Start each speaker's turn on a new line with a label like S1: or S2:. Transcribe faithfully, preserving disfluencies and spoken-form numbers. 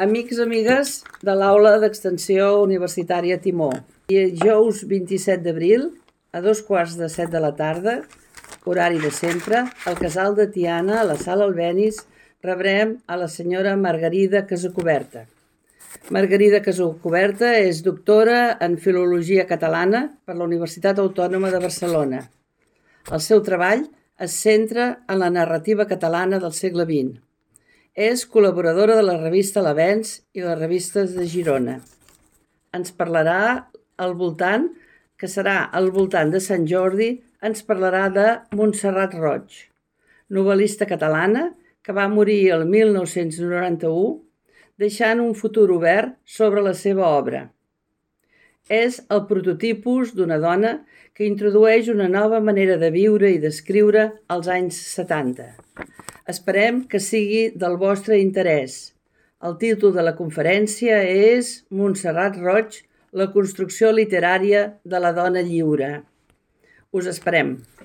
S1: Amics, amigues de l'Aula d'Extensió Universitària Timó. Dijous vint-i-set d'abril, a dos quarts de set de la tarda, horari de sempre, al Casal de Tiana, a la Sala Albéniz, rebrem a la senyora Margarida Casacuberta. Margarida Casacuberta és doctora en Filologia Catalana per la Universitat Autònoma de Barcelona. El seu treball es centra en la narrativa catalana del segle vint. És col·laboradora de la revista L'Avenç i les revistes de Girona. Ens parlarà al voltant, que serà al voltant de Sant Jordi, ens parlarà de Montserrat Roig, novel·lista catalana que va morir el mil nou-cents noranta-u, deixant un futur obert sobre la seva obra. És el prototipus d'una dona que introdueix una nova manera de viure i d'escriure als anys setanta. Esperem que sigui del vostre interès. El títol de la conferència és Montserrat Roig, la construcció literària de la dona lliure. Us esperem.